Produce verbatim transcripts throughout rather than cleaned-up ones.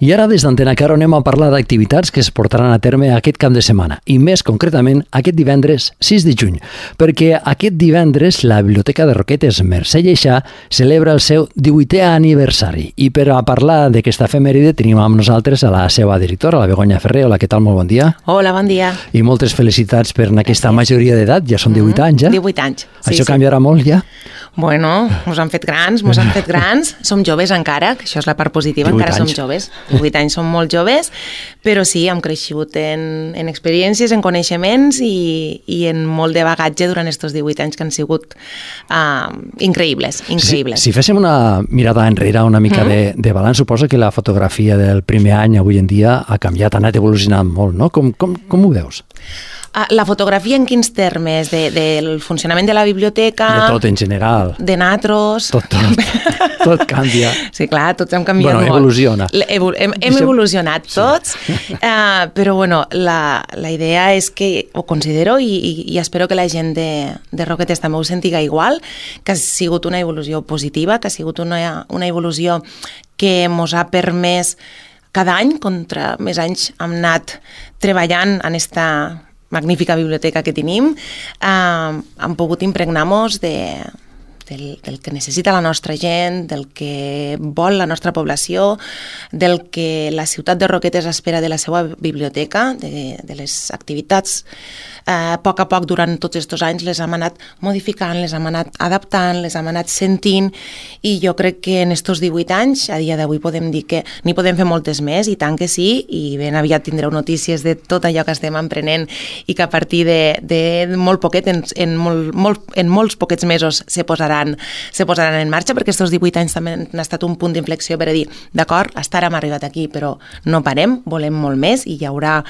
I ara des d'Antena Caro anem a parlar d'activitats que es portaran a terme aquest cap de setmana, i més concretament aquest divendres sis de juny, perquè aquest divendres la Biblioteca de Roquetes Mercè Lleixà celebra el seu divuitè aniversari. I per a parlar d'aquesta efemèride tenim amb nosaltres a la seva directora, la Begoña Ferrer. Hola, què tal? Molt bon dia. Hola, bon dia. I moltes felicitats per aquesta majoria d'edat, ja són divuit anys, ja? divuit anys, sí. Això sí. canviarà molt, ja? Bueno, mos han fet grans, mos han fet grans. Som joves encara, que això és la part positiva, encara som joves. divuit anys som molt joves, però sí, hem crescut en, en experiències, en coneixements i, i en molt de bagatge durant aquests divuit anys que han sigut uh, increïbles, increïbles. Si, si féssim una mirada enrere, una mica mm. de, de balanç, suposo que la fotografia del primer any avui en dia ha canviat, ha anat evolucionant molt, no? Com, com, com ho veus? La fotografia en quins termes? De, del funcionament de la biblioteca? De tot, en general. De natros? Tot, tot. Tot canvia. Sí, clar, tots hem canviat bueno, molt. Evoluciona. Evol hem, hem evolucionat tots, sí. uh, però bueno, la, la idea és que, ho considero, i, i, i espero que la gent de, de Roquetes també ho sentiga igual, que ha sigut una evolució positiva, que ha sigut una, una evolució que ens ha permès cada any, contra més anys, hem anat treballant en esta magnífica biblioteca que tenim, eh, hem pogut impregnar-nos de, del, del que necessita la nostra gent, del que vol la nostra població, del que la ciutat de Roquetes espera de la seva biblioteca, de, de les activitats. Eh, a poc a poc, durant tots aquests anys, les hem anat modificant, les hem anat adaptant, les hem anat sentint, i jo crec que en aquests divuit anys, a dia d'avui podem dir que n'hi podem fer moltes més, i tant que sí, i ben aviat tindreu notícies de tot allò que estem emprenent i que a partir de, de molt poquet, en, en, molt, molt, en molts poquets mesos se posaran, se posaran en marxa, perquè aquests divuit anys també han estat un punt d'inflexió per a dir, d'acord, hasta ara hem arribat aquí, però no parem, volem molt més, i hi haurà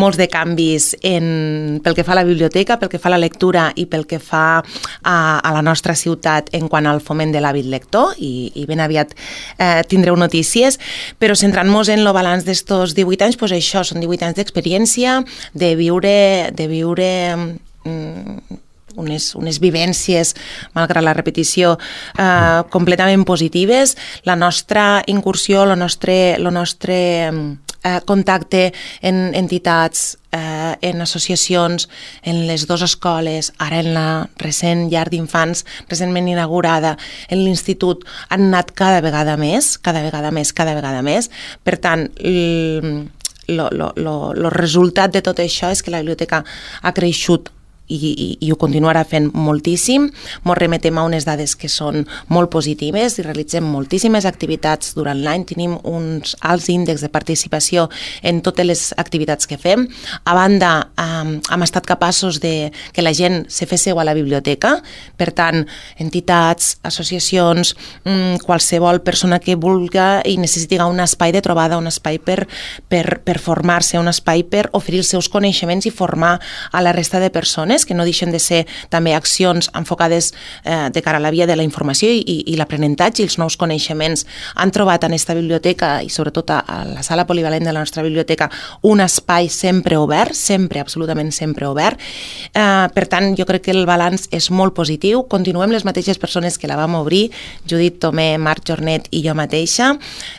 molts de canvis en, pel que fa a la biblioteca, pel que fa a la lectura i pel que fa a, a la nostra ciutat en quant al foment de l'hàbit lector, i, i ben aviat eh, tindreu notícies, però centrant-nos en el balanç d'estos divuit anys, doncs això, són divuit anys d'experiència, de viure, de viure mm, unes, unes vivències, malgrat la repetició, eh, completament positives. La nostra incursió, el nostre, el nostre eh, contacte en entitats, eh, en associacions, en les dues escoles, ara en la recent llar d'infants, recentment inaugurada, en l'institut, han anat cada vegada més, cada vegada més, cada vegada més. Per tant, el, lo, lo, lo, lo resultat de tot això és que la biblioteca ha creixut I, i, i ho continuarà fent moltíssim. Ens remetem a unes dades que són molt positives i realitzem moltíssimes activitats durant l'any. Tenim uns alts índexs de participació en totes les activitats que fem. A banda, eh, hem estat capaços de que la gent se fes seu a la biblioteca. Per tant, entitats, associacions, mm, qualsevol persona que vulga i necessiti un espai de trobada, un espai per, per, per formar-se, un espai per oferir els seus coneixements i formar a la resta de persones, que no deixen de ser també accions enfocades eh, de cara a la via de la informació i, i l'aprenentatge i els nous coneixements. Han trobat en aquesta biblioteca i sobretot a, a la sala polivalent de la nostra biblioteca un espai sempre obert, sempre, absolutament sempre obert. Eh, per tant, jo crec que el balanç és molt positiu. Continuem les mateixes persones que la vam obrir, Judit Tomé, Marc Jornet i jo mateixa.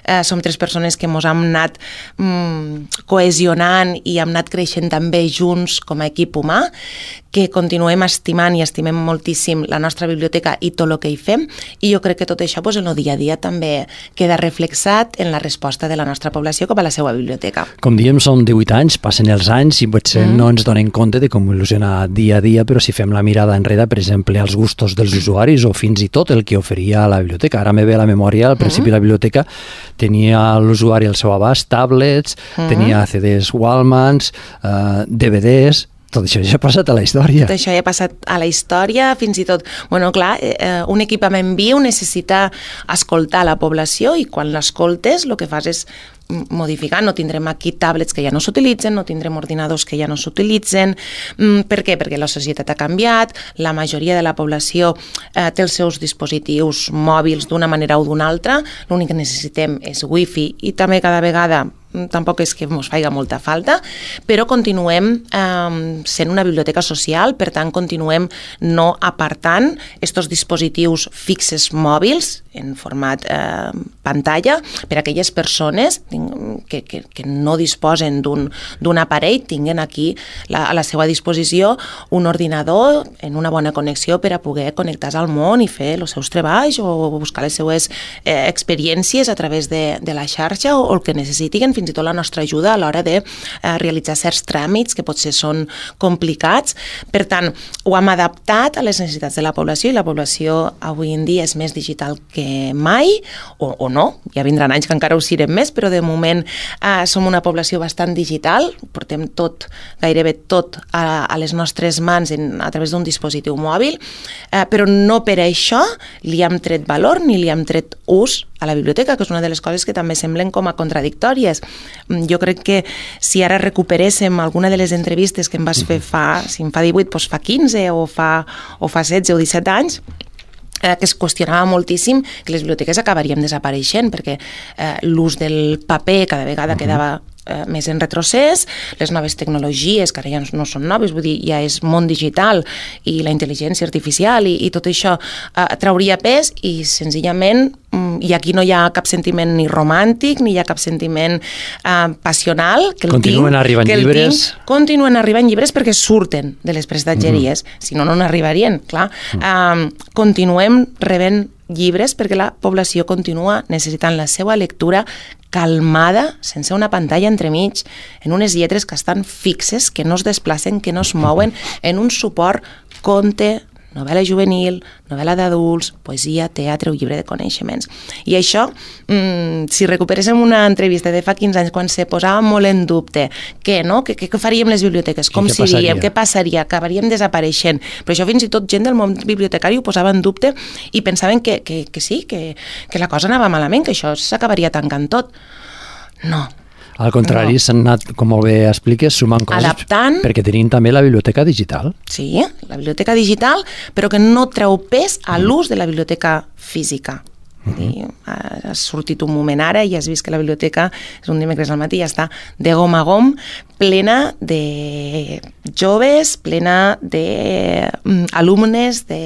Eh, som tres persones que ens hem anat mm, cohesionant i hem anat creixent també junts com a equip humà, que continuem estimant i estimem moltíssim la nostra biblioteca i tot el que hi fem, i jo crec que tot això pues, en el dia a dia també queda reflexat en la resposta de la nostra població cap a la seva biblioteca. Com diem, són divuit anys, passen els anys i potser mm. no ens donem compte de com evoluciona dia a dia, però si fem la mirada enrere, per exemple, als gustos dels usuaris o fins i tot el que oferia la biblioteca. Ara me ve a la memòria, al principi mm. la biblioteca tenia l'usuari al seu abast tablets, mm. tenia C Ds Wallmans, uh, D V Ds. Tot això ja ha passat a la història. Tot això ja ha passat a la història, fins i tot... Bueno, clar, eh, un equipament viu necessita escoltar la població i quan l'escoltes el que fas és modificar. No tindrem aquí tablets que ja no s'utilitzen, no tindrem ordinadors que ja no s'utilitzen. Per què? Perquè la societat ha canviat, la majoria de la població eh, té els seus dispositius mòbils d'una manera o d'una altra, l'únic que necessitem és wifi i també cada vegada tampoc és que ens faiga molta falta, però continuem eh, sent una biblioteca social, per tant continuem no apartant estos dispositius fixes mòbils en format eh, pantalla per a aquelles persones que, que, que no disposen d'un aparell tinguen aquí la, a la seva disposició un ordinador en una bona connexió per a poder connectar-se al món i fer els seus treballs o buscar les seues eh, experiències a través de, de la xarxa o, o el que necessitin, fins i tot la nostra ajuda a l'hora de eh, realitzar certs tràmits que potser són complicats. Per tant, ho hem adaptat a les necessitats de la població i la població avui en dia és més digital que mai, o, o no, ja vindran anys que encara ho serem més, però de moment eh, som una població bastant digital, portem tot, gairebé tot a, a les nostres mans en, a través d'un dispositiu mòbil, eh, però no per això li hem tret valor ni li hem tret ús a la biblioteca, que és una de les coses que també semblen com a contradictòries. Jo crec que si ara recuperéssim alguna de les entrevistes que em vas fer fa, si em fa divuit, doncs fa quinze o fa, o fa setze o disset anys, eh, que es qüestionava moltíssim que les biblioteques acabarien desapareixent, perquè eh, l'ús del paper cada vegada quedava eh, més en retrocés, les noves tecnologies, que ara ja no són noves, vull dir, ja és món digital i la intel·ligència artificial i, i tot això eh, trauria pes i senzillament i aquí no hi ha cap sentiment ni romàntic ni hi ha cap sentiment eh, passional que el continuen tinc, arribant que el llibres tinc, continuen arribant llibres perquè surten de les prestatgeries, mm-hmm. si no, no n'arribarien, clar. Mm. Eh, continuem rebent llibres perquè la població continua necessitant la seva lectura calmada, sense una pantalla entremig, en unes lletres que estan fixes, que no es desplacen, que no es mouen, en un suport conte, novel·la juvenil, novel·la d'adults, poesia, teatre o llibre de coneixements. I això, mmm, si recuperéssim una entrevista de fa quinze anys, quan se posava molt en dubte què, no? Què, què faríem les biblioteques? Com què seríem? passaria? Què passaria? Acabaríem desapareixent. Però això fins i tot gent del món bibliotecari ho posava en dubte i pensaven que, que, que sí, que, que la cosa anava malament, que això s'acabaria tancant tot. No. Al contrari, no. S'han anat, com molt bé expliques, sumant coses. Adaptant. Perquè tenim també la biblioteca digital. Sí, la biblioteca digital, però que no treu pes a l'ús de la biblioteca física. Uh-huh. Ha sortit un moment ara i has vist que la biblioteca és un dimecres al matí, ja està de gom a gom, plena de joves, plena d'alumnes de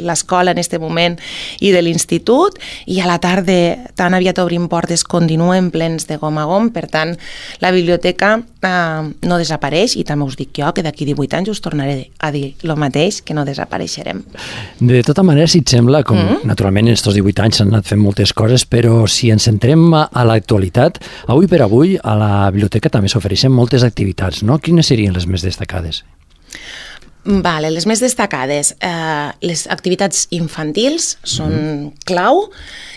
l'escola en aquest moment i de l'institut, i a la tarda tan aviat obrim portes continuen plens de gom a gom. Per tant, la biblioteca eh, no desapareix, i també us dic jo que d'aquí divuit anys us tornaré a dir el mateix, que no desapareixerem. De tota manera, si et sembla, com mm-hmm. naturalment en aquests divuit anys s'han anat fent moltes coses, però si ens centrem a l'actualitat, avui per avui a la biblioteca també s'ofereixen moltes activitats, no? Quines serien les més destacades? Vale, les més destacades. Eh, les activitats infantils són mm. clau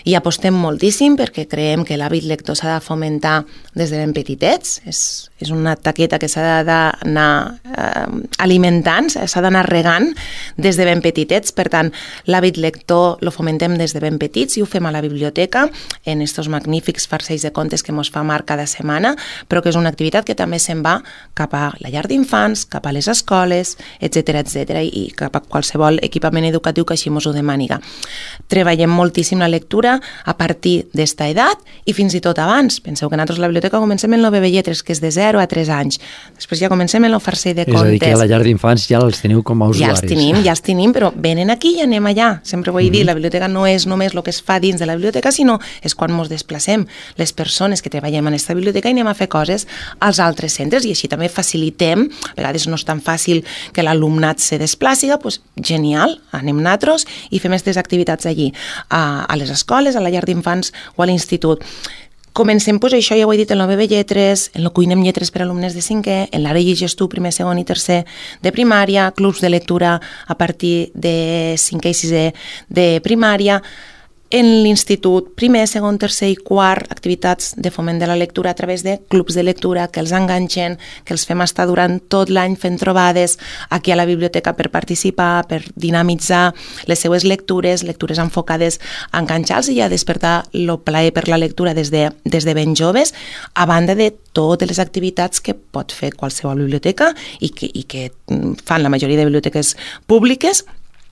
i apostem moltíssim perquè creiem que l'hàbit lector s'ha de fomentar des de ben petitets. És, és una taqueta que s'ha d'anar eh, alimentant, s'ha d'anar regant des de ben petitets. Per tant, l'hàbit lector lo fomentem des de ben petits i ho fem a la biblioteca en estos magnífics farcells de contes que mos fa Marc cada setmana, però que és una activitat que també se'n va cap a la llar d'infants, cap a les escoles, etcètera, etcètera, i cap a qualsevol equipament educatiu que així mos ho demaniga. Treballem moltíssim la lectura a partir d'esta edat i fins i tot abans. Penseu que nosaltres a la biblioteca comencem en el bebè lletres, que és de zero a tres anys. Després ja comencem en el farcell de contes. És a dir, que a la llar d'infants ja els teniu com a usuaris. Ja els tenim, ja els tenim, però venen aquí i anem allà. Sempre ho he dit, la biblioteca no és només el que es fa dins de la biblioteca, sinó és quan ens desplacem les persones que treballem en aquesta biblioteca i anem a fer coses als altres centres, i així també facilitem. A vegades no és tan fàcil que l'alumnat se desplaci, doncs genial, anem nosaltres i fem aquestes activitats allí, a, a les escoles, a la llar d'infants o a l'institut. Comencem, doncs, això ja ho he dit, en el bebè lletres, en el cuinem lletres per a alumnes de cinquè, en l'ara llegeix tu, primer, segon i tercer de primària, clubs de lectura a partir de cinquè i sisè de primària, en l'institut, primer, segon, tercer i quart, activitats de foment de la lectura a través de clubs de lectura que els enganxen, que els fem estar durant tot l'any fent trobades aquí a la biblioteca per participar, per dinamitzar les seues lectures, lectures enfocades a enganxar-los i a despertar el plaer per la lectura des de, des de ben joves, a banda de totes les activitats que pot fer qualsevol biblioteca i que, i que fan la majoria de biblioteques públiques,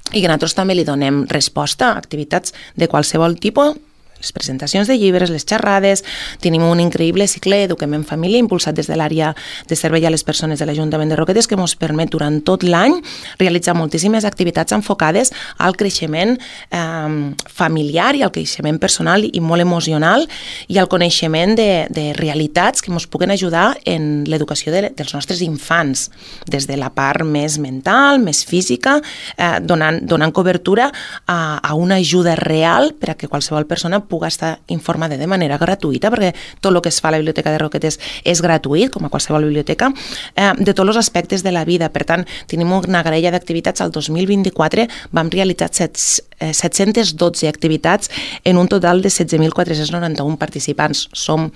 i que nosaltres també li donem resposta a activitats de qualsevol tipus, les presentacions de llibres, les xerrades, tenim un increïble cicle Eduquem en Família impulsat des de l'àrea de servei a les persones de l'Ajuntament de Roquetes que ens permet durant tot l'any realitzar moltíssimes activitats enfocades al creixement eh, familiar i al creixement personal i molt emocional i al coneixement de, de realitats que ens puguen ajudar en l'educació de, dels nostres infants, des de la part més mental, més física, eh, donant, donant cobertura a, a una ajuda real per a que qualsevol persona pugui estar informada de manera gratuïta, perquè tot el que es fa a la Biblioteca de Roquetes és gratuït, com a qualsevol biblioteca, eh, de tots els aspectes de la vida. Per tant, tenim una graella d'activitats. Al dos mil vint-i-quatre vam realitzar set-centes dotze activitats en un total de setze mil quatre-cents noranta-un participants. Som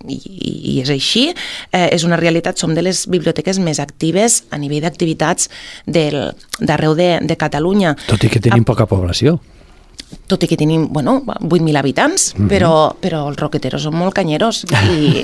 I, i és així, eh, és una realitat, som de les biblioteques més actives a nivell d'activitats d'arreu de, de Catalunya. Tot i que tenim a... poca població. Tot i que tenim, bueno, vuit mil habitants, mm-hmm. però, però els roqueteros són molt canyeros i,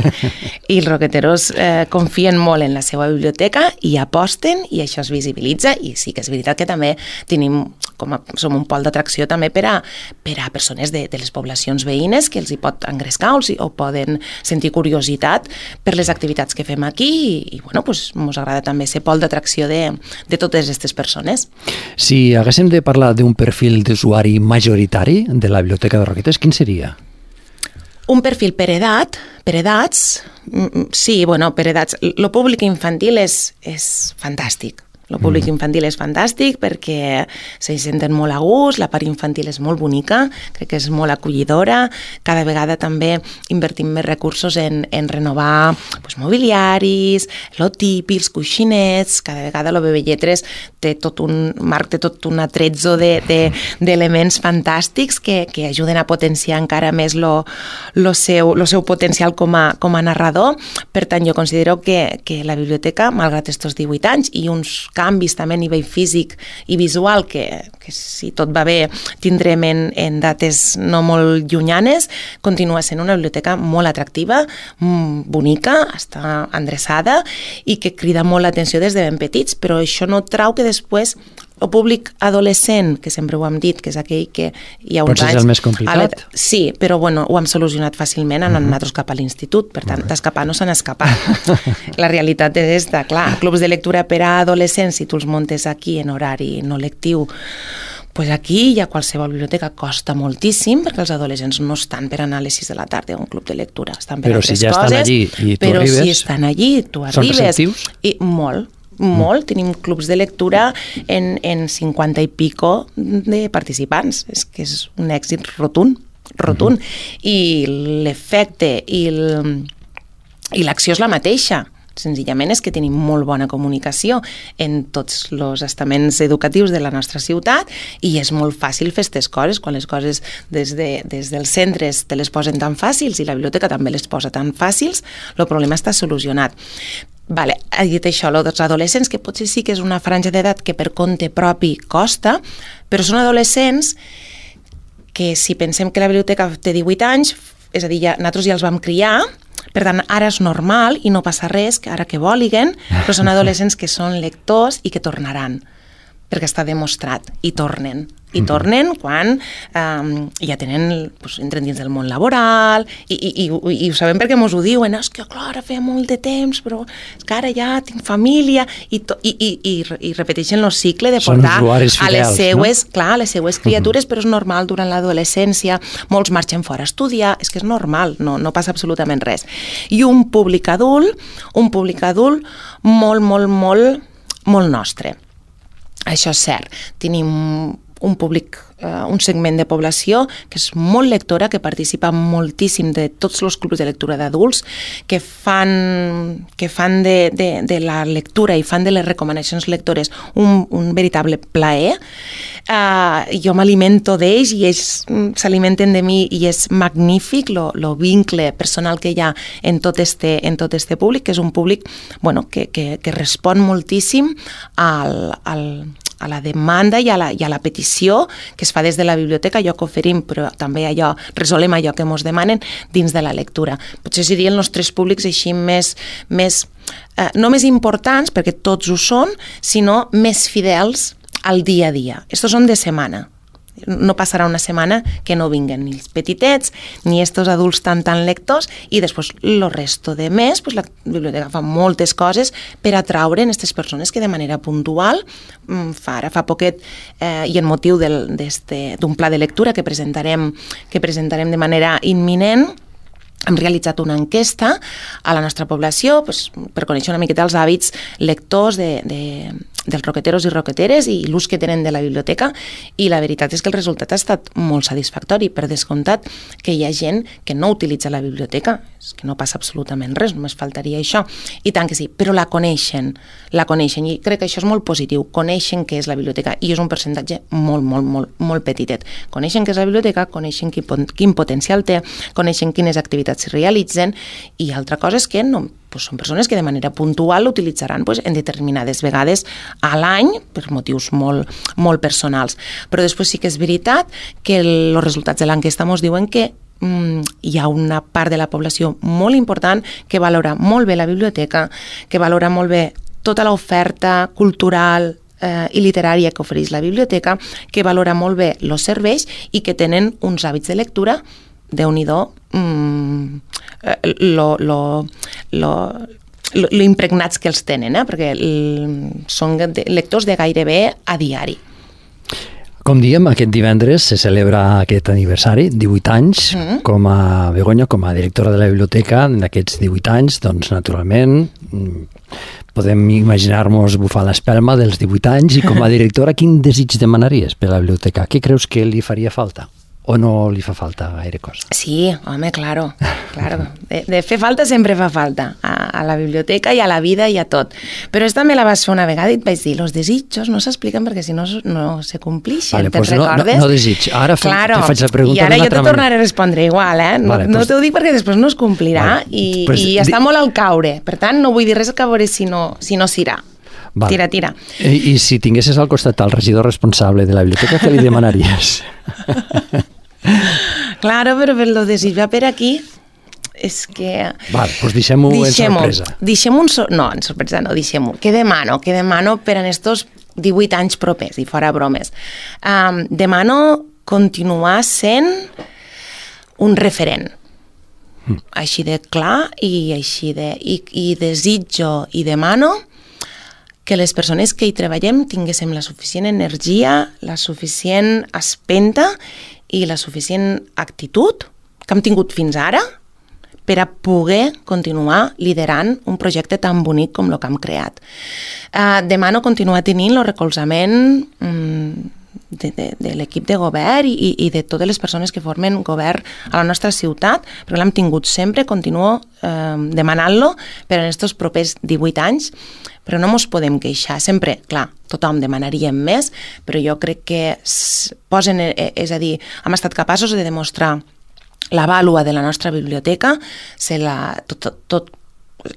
i els roqueteros eh, confien molt en la seva biblioteca i aposten i això es visibilitza i sí que és veritat que també tenim, com a, som un pol d'atracció també per a, per a persones de, de les poblacions veïnes que els hi pot engrescar o, o poden sentir curiositat per les activitats que fem aquí i, i bueno, pues, mos agrada també ser pol d'atracció de, de totes aquestes persones. Si haguéssim de parlar d'un perfil d'usuari majoritari de la Biblioteca de Roquetes, quin seria? Un perfil per edat, per edats, sí, bueno, per edats. Lo públic infantil és, és fantàstic. El públic infantil és fantàstic perquè s'hi senten molt a gust, la part infantil és molt bonica, crec que és molt acollidora, cada vegada també invertim més recursos en, en renovar pues, mobiliaris, lo típic, els coixinets, cada vegada el Bebè Lletres té tot un marc, té tot un atrezzo d'elements de, de, fantàstics que, que ajuden a potenciar encara més lo, lo, seu, lo seu potencial com a, com a narrador. Per tant, jo considero que, que la biblioteca, malgrat estos divuit anys i uns canvis també a nivell físic i visual que, que si tot va bé tindrem en, en dates no molt llunyanes, continua sent una biblioteca molt atractiva, bonica, està endreçada i que crida molt l'atenció des de ben petits, però això no trau que després el públic adolescent, que sempre ho hem dit, que és aquell que hi ha uns Potser anys... és el més complicat. Sí, però bueno, ho hem solucionat fàcilment en uh-huh. nosaltres cap a l'institut, per tant, d'escapar no se n'escapa. La realitat és esta, clar, clubs de lectura per a adolescents, si tu els muntes aquí en horari no lectiu, pues aquí ja qualsevol biblioteca costa moltíssim perquè els adolescents no estan per anar a les sis de la tarda a un club de lectura, estan per però altres si ja coses, estan allí i tu però arribes, si estan allí, tu arribes... Són receptius? I molt, molt. Mm. Tenim clubs de lectura en, en cinquanta i pico de participants. És que és un èxit rotund, rotund. Mm-hmm. I l'efecte i l'acció és la mateixa. Senzillament és que tenim molt bona comunicació en tots els estaments educatius de la nostra ciutat i és molt fàcil fer aquestes coses, quan les coses des, de, des dels centres te les posen tan fàcils i la biblioteca també les posa tan fàcils, el problema està solucionat. Vale, he dit això, els adolescents, que potser sí que és una franja d'edat que per compte propi costa, però són adolescents que si pensem que la biblioteca té divuit anys, és a dir, ja, nosaltres ja els vam criar, per tant, ara és normal i no passa res, que ara que voliguen, però són adolescents que són lectors i que tornaran, perquè està demostrat, i tornen. I tornen quan um, ja tenen, pues, entren dins del món laboral i, i, i, i ho sabem perquè mos ho diuen, és que clar, ara feia molt de temps, però és que ara ja tinc família i, to, i, i, i, i repeteixen el cicle de portar fidels, a les seues, no? clar, a les seues criatures, uh-huh. però és normal durant l'adolescència, molts marxen fora a estudiar, és que és normal, no, no passa absolutament res. I un públic adult, un públic adult molt, molt, molt, molt nostre. Això és cert. Tenim un públic, uh, un segment de població que és molt lectora, que participa moltíssim de tots els clubs de lectura d'adults, que fan, que fan de, de, de la lectura i fan de les recomanacions lectores un, un veritable plaer. Uh, jo m'alimento d'ells i ells s'alimenten de mi i és magnífic el vincle personal que hi ha en tot este, en tot este públic, que és un públic bueno, que, que, que respon moltíssim al, al a la demanda i a la, i a la petició que es fa des de la biblioteca, allò que oferim, però també allò, resolem allò que ens demanen dins de la lectura. Potser serien els tres públics així més, més eh, no més importants, perquè tots ho són, sinó més fidels al dia a dia. Estos són de setmana. No passarà una setmana que no vinguen ni els petitets, ni estos adults tan tan lectors, i després el resto de mes pues, la biblioteca fa moltes coses per atraure aquestes persones que de manera puntual, fa, ara fa poquet, eh, i en motiu d'un pla de lectura que presentarem, que presentarem de manera imminent, hem realitzat una enquesta a la nostra població pues, per conèixer una miqueta els hàbits lectors de, de, dels roqueteros i roqueteres i l'ús que tenen de la biblioteca, i la veritat és que el resultat ha estat molt satisfactori. Per descomptat que hi ha gent que no utilitza la biblioteca, és que no passa absolutament res, només faltaria això, i tant que sí, però la coneixen, la coneixen, i crec que això és molt positiu, coneixen què és la biblioteca, i és un percentatge molt, molt, molt, molt petitet. Coneixen què és la biblioteca, coneixen quin, quin potencial té, coneixen quines activitats s'hi realitzen, i altra cosa és que no, pues són persones que de manera puntual l'utilitzaran pues, en determinades vegades a l'any per motius molt, molt personals. Però després sí que és veritat que els resultats de l'enquesta ens diuen que mm, hi ha una part de la població molt important que valora molt bé la biblioteca, que valora molt bé tota l'oferta cultural eh, i literària que ofereix la biblioteca, que valora molt bé els serveis i que tenen uns hàbits de lectura Déu-n'hi-do, mm, lo, lo, lo, lo, lo impregnats que els tenen, eh? Perquè l, són lectors de gairebé a diari. Com diem, aquest divendres se celebra aquest aniversari, divuit anys, mm. com a Begoña, com a directora de la biblioteca, en aquests divuit anys, doncs, naturalment, podem imaginar-nos bufar l'espelma dels divuit anys, i com a directora, quin desig demanaries per a la biblioteca? Què creus que li faria falta? O no li fa falta gaire cosa? Sí, home, claro, claro. De, de fer falta sempre fa falta, a, a la biblioteca i a la vida i a tot. Però esta me la vas fer una vegada i et vaig dir, los desitjos no s'expliquen perquè si no no se complixen, vale, te'n pues recordes? No, no, no desig, ara fe, claro. Te faig la pregunta i ara jo te manera. tornaré a respondre igual, eh? No, vale, no pues... t'ho dic perquè després no es complirà, vale. i, pues, i està di... molt al caure, per tant no vull dir res que a veure si no si no s'irà. Vale. Tira, tira. I, I si tinguessis al costat el regidor responsable de la biblioteca, què li demanaries? Claro, però per lo desig va per aquí és que... Val, doncs deixem-ho en sorpresa. Deixem-ho en sorpresa. No, en sorpresa no, deixem-ho. Què demano? Què demano per en estos divuit anys propers, i fora bromes? Um, demano continuar sent un referent. Mm. Així de clar i així de... I, i desitjo i demano que les persones que hi treballem tinguéssim la suficient energia, la suficient espenta i la suficient actitud que hem tingut fins ara per a poder continuar liderant un projecte tan bonic com el que hem creat. Uh, demano continuar tenint el recolzament um, de, de, de l'equip de govern i, i de totes les persones que formen govern a la nostra ciutat, perquè l'hem tingut sempre, continuo uh, demanant-lo per en aquests propers divuit anys, però no ens podem queixar. Sempre, clar, tothom demanaríem més, però jo crec que posen, és a dir, hem estat capaços de demostrar la vàlua de la nostra biblioteca, se la, tot, tot, tot,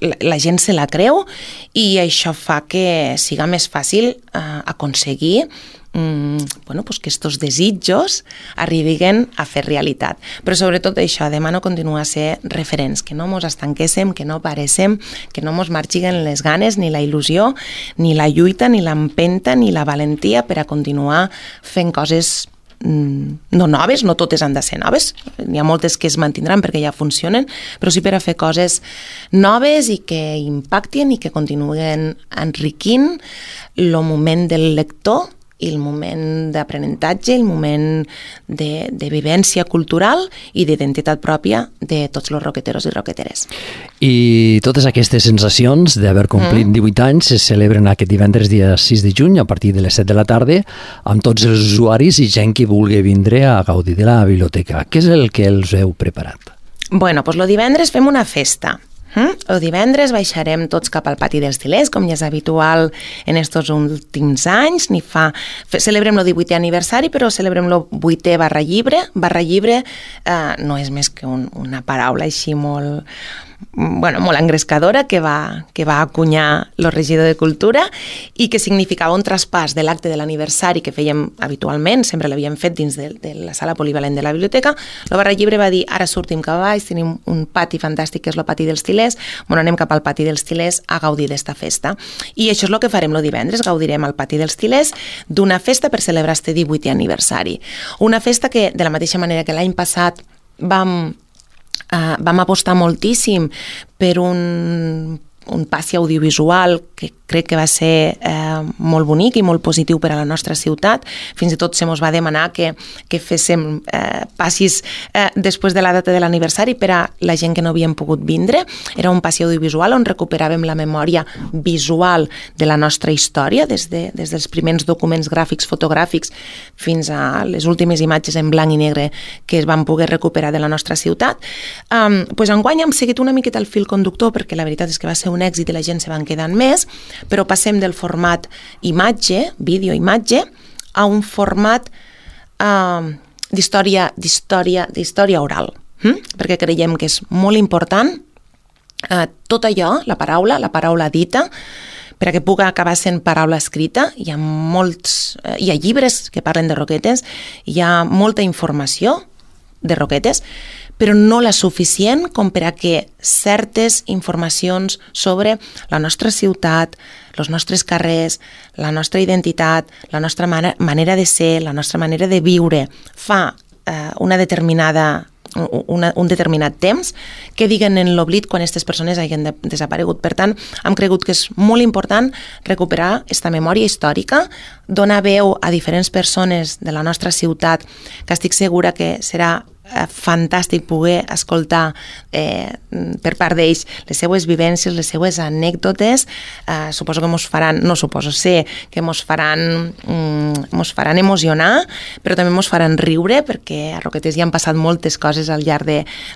la, la gent se la creu, i això fa que siga més fàcil eh, aconseguir mm, bueno, pues que estos desitjos arribin a fer realitat. Però sobretot això, demano continuar a ser referents, que no mos estanquéssim, que no paréssim, que no mos marxiguen les ganes, ni la il·lusió, ni la lluita, ni l'empenta, ni la valentia per a continuar fent coses no noves, no totes han de ser noves, n'hi ha moltes que es mantindran perquè ja funcionen, però sí per a fer coses noves i que impactin i que continuen enriquint el moment del lector i el moment d'aprenentatge, el moment de, de vivència cultural i d'identitat pròpia de tots els roqueteros i roqueteres. I totes aquestes sensacions d'haver complit mm. divuit anys se celebren aquest divendres dia sis de juny a partir de les set de la tarda amb tots els usuaris i gent que vulgui vindre a gaudir de la biblioteca. Què és el que els heu preparat? Bueno, doncs el divendres fem una festa. El divendres baixarem tots cap al pati dels Til·lers, com ja és habitual en estos últims anys. Ni fa... Celebrem el divuitè aniversari, però celebrem el vuitè barra llibre. Barra llibre eh, no és més que un, una paraula així molt, bueno, molt engrescadora que va, que va acunyar el regidor de Cultura i que significava un traspàs de l'acte de l'aniversari que fèiem habitualment, sempre l'havíem fet dins de, de la sala polivalent de la biblioteca. La Barra Llibre va dir, ara sortim cap a baix, tenim un pati fantàstic que és el pati dels Tilers, bueno, anem cap al pati dels Tilers a gaudir d'esta festa. I això és el que farem el divendres, gaudirem al pati dels Tilers d'una festa per celebrar este divuitè aniversari. Una festa que, de la mateixa manera que l'any passat vam, uh, vam apostar moltíssim per un un passi audiovisual que crec que va ser eh, molt bonic i molt positiu per a la nostra ciutat. Fins i tot se mos va demanar que, que féssim eh, passis eh, després de la data de l'aniversari per a la gent que no havien pogut vindre. Era un passi audiovisual on recuperàvem la memòria visual de la nostra història, des, de, des dels primers documents gràfics, fotogràfics, fins a les últimes imatges en blanc i negre que es van poder recuperar de la nostra ciutat. Um, pues enguany hem seguit una miqueta el fil conductor, perquè la veritat és que va ser un un èxit i la gent se van quedant més, però passem del format imatge, vídeo-imatge, a un format uh, d'història d'història d'història oral, hm? perquè creiem que és molt important uh, tot allò, la paraula, la paraula dita, per a que pugui acabar sent paraula escrita. Hi ha molts, uh, hi ha llibres que parlen de Roquetes, hi ha molta informació de Roquetes, però no la suficient com per a que certes informacions sobre la nostra ciutat, els nostres carrers, la nostra identitat, la nostra man- manera de ser, la nostra manera de viure, fa eh, una determinada Una, un determinat temps, que diguen en l'oblit quan aquestes persones hagin de, desaparegut. Per tant, hem cregut que és molt important recuperar aquesta memòria històrica, donar veu a diferents persones de la nostra ciutat, que estic segura que serà fantàstic poder escoltar eh, per part d'ells les seues vivències, les seues anècdotes. Eh, suposo que mos faran, no suposo, sé que mos faran, mm, mos faran emocionar, però també mos faran riure, perquè a Roquetes hi han passat moltes coses al llarg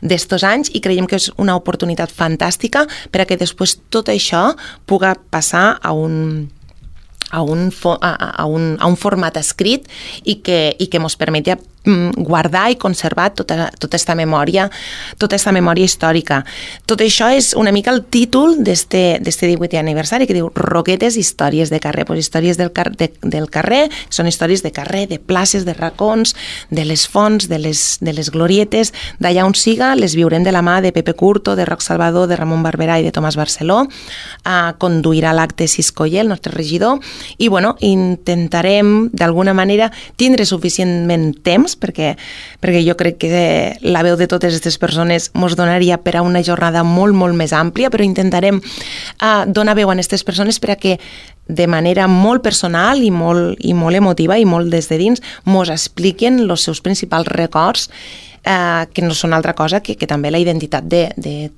d'estos anys i creiem que és una oportunitat fantàstica per a que després tot això pugui passar a un a un, a, a, un, a un format escrit i que, i que mos permeti guardar i conservar tota, tota esta memòria, tota esta memòria històrica. Tot això és una mica el títol d'este divuitè aniversari, que diu Roquetes, històries de carrer. Pues històries del, car de, del carrer, són històries de carrer, de places, de racons, de les fonts, de les, de les glorietes, d'allà on siga, les viurem de la mà de Pepe Curto, de Roc Salvador, de Ramon Barberà i de Tomàs Barceló. Uh, conduirà l'acte Siscoller, el nostre regidor, i bueno, intentarem d'alguna manera tindre suficientment temps, perquè, perquè jo crec que la veu de totes aquestes persones mos donaria per a una jornada molt, molt més àmplia, però intentarem uh, donar veu a aquestes persones per a que de manera molt personal i molt, i molt emotiva i molt des de dins mos expliquen els seus principals records, eh, que no són altra cosa que, que també la identitat de, de,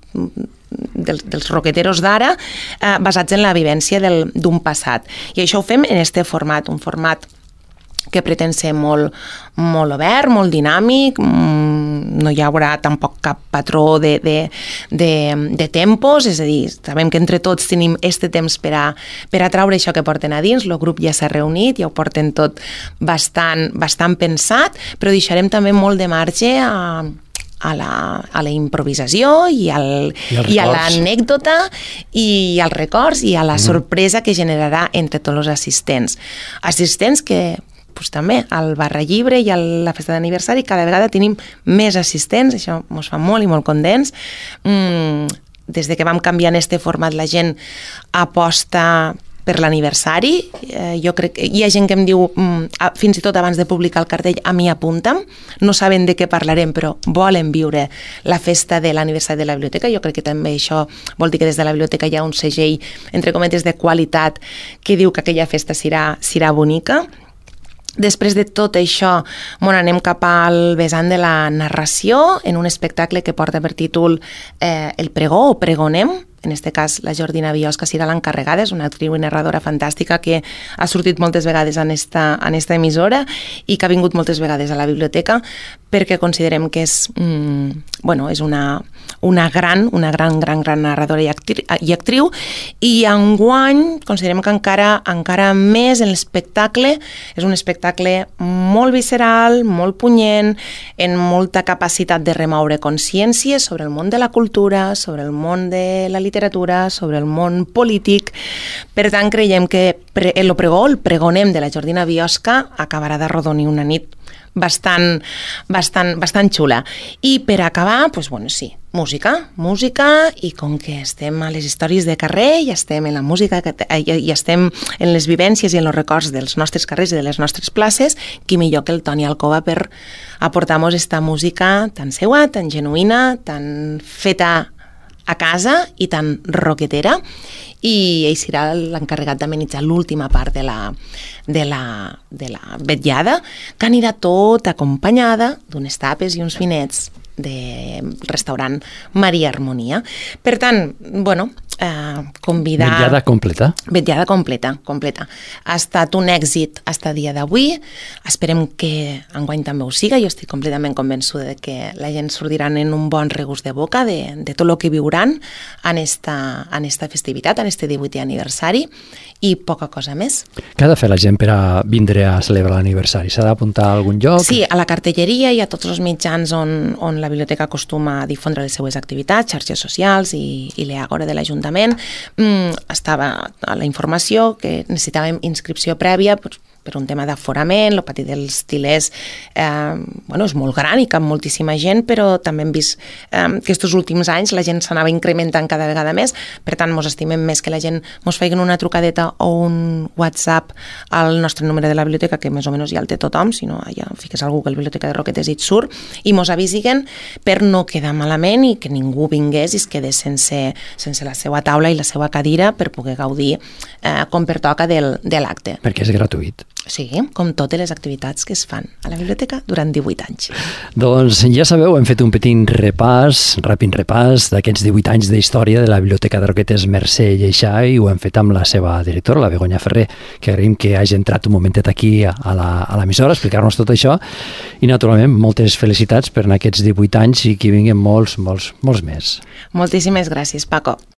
dels, dels roqueteros d'ara, eh, basats en la vivència d'un passat. I això ho fem en este format, un format que pretén ser molt, molt obert, molt dinàmic, no hi haurà tampoc cap patró de, de, de, de tempos, és a dir, sabem que entre tots tenim este temps per a, per a traure això que porten a dins, el grup ja s'ha reunit, ja ho porten tot bastant, bastant pensat, però deixarem també molt de marge a a la, a la improvisació i, al, I, i a l'anècdota i als records i a la mm-hmm. sorpresa que generarà entre tots els assistents. Assistents que pues, també al Barra Llibre i a la festa d'aniversari cada vegada tenim més assistents, això ens fa molt i molt contents. Mm, des de que vam canviar en este format la gent aposta per l'aniversari, eh, jo crec que hi ha gent que em diu, mm, fins i tot abans de publicar el cartell, a mi apunta'm, no saben de què parlarem, però volen viure la festa de l'aniversari de la biblioteca. Jo crec que també això vol dir que des de la biblioteca hi ha un segell, entre cometes, de qualitat, que diu que aquella festa serà, serà bonica. Després de tot això, bueno, anem cap al vessant de la narració en un espectacle que porta per títol eh, El pregó o Pregonem. En aquest cas, la Jordina Biosca serà l'encarregada, és una actriu i narradora fantàstica que ha sortit moltes vegades en esta, en esta emissora i que ha vingut moltes vegades a la biblioteca perquè considerem que és, mm, bueno, és una, una gran, una gran, gran, gran narradora i, actri i actriu, i enguany considerem que encara, encara més en l'espectacle és un espectacle molt visceral, molt punyent, en molta capacitat de remoure consciències sobre el món de la cultura, sobre el món de la literatura, sobre el món polític. Per tant, creiem que el pregó, el pregonem de la Jordina Biosca acabarà d'arrodonir una nit bastant, bastant, bastant xula. I per acabar, doncs, bueno, sí, música, música, i com que estem a les històries de carrer i estem en la música i estem en les vivències i en els records dels nostres carrers i de les nostres places, qui millor que el Toni Alcoba per aportar-nos esta música tan seua, tan genuïna, tan feta a casa i tan roquetera, i ell serà l'encarregat d'amenitzar l'última part de la, de la, de la vetllada, que anirà tot acompanyada d'unes tapes i uns vinets del restaurant Maria Harmonia. Per tant, bueno, eh, convidar... Vetllada completa. Vetllada completa, completa. Ha estat un èxit fins a dia d'avui. Esperem que enguany també ho siga. Jo estic completament convençuda de que la gent sortiran en un bon regust de boca de, de tot el que viuran en esta, en esta festivitat, en este divuitè aniversari, i poca cosa més. Què ha de fer la gent per a vindre a celebrar l'aniversari? S'ha d'apuntar a algun lloc? Sí, a la cartelleria i a tots els mitjans on, on la biblioteca acostuma a difondre les seues activitats, xarxes socials i, i l'Àgora de l'Ajuntament. Mm, estava a la informació que necessitàvem inscripció prèvia per, per un tema d'aforament. El pati dels Til·lers eh, bueno, és molt gran i cap moltíssima gent, però també hem vist eh, que aquests últims anys la gent s'anava incrementant cada vegada més. Per tant, mos estimem més que la gent mos feien una trucadeta o un WhatsApp al nostre número de la biblioteca, que més o menys ja el té tothom, si no ja fiques al Google Biblioteca de Roquetes i et surt, i mos avisiguen per no quedar malament i que ningú vingués i es quedés sense, sense la seva taula i la seva cadira per poder gaudir eh, com pertoca del, de l'acte. Perquè és gratuït. Sí, com totes les activitats que es fan a la biblioteca durant divuit anys. Doncs ja sabeu, hem fet un petit repàs, ràpid repàs d'aquests divuit anys d'història de la Biblioteca de Roquetes Mercè Lleixà, i ho hem fet amb la seva directora, la Begoña Ferrer, que agraïm que hagi entrat un momentet aquí a l'emissora a explicar-nos tot això, i naturalment moltes felicitats per en aquests divuit anys i que vinguin molts, molts, molts més. Moltíssimes gràcies, Paco.